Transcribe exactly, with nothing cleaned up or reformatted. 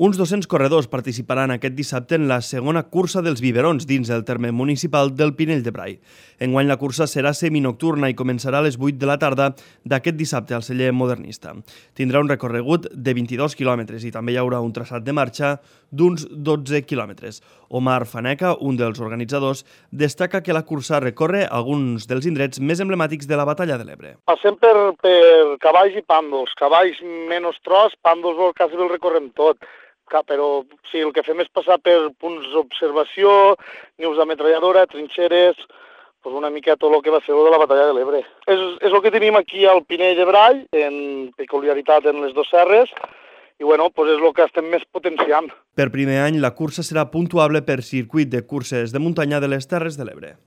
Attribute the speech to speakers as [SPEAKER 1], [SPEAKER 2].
[SPEAKER 1] Uns dos-cents corredors participaran aquest dissabte en la segona cursa dels biberons dins el terme municipal del Pinell de Brai. Enguany la cursa serà seminocturna i començarà a les vuit de la tarda d'aquest dissabte al celler modernista. Tindrà un recorregut de vint-i-dos quilòmetres i també hi haurà un traçat de marxa d'uns dotze quilòmetres. Omar Faneca, un dels organitzadors, destaca que la cursa recorre alguns dels indrets més emblemàtics de la Batalla de l'Ebre.
[SPEAKER 2] Passem per, per cavalls i pàndols, cavalls menys tros, pàndols quasi el recorrem tot. Però sí, el que fem és passar per punts d'observació, nius d'ametralladora, trinxeres, doncs una mica tot el que va ser de la Batalla de l'Ebre. És, és el que tenim aquí al Pinell de Brai, en peculiaritat en les dues serres, i bueno, doncs és el que estem més potenciant.
[SPEAKER 1] Per primer any, la cursa serà puntuable per circuit de curses de muntanya de les Terres de l'Ebre.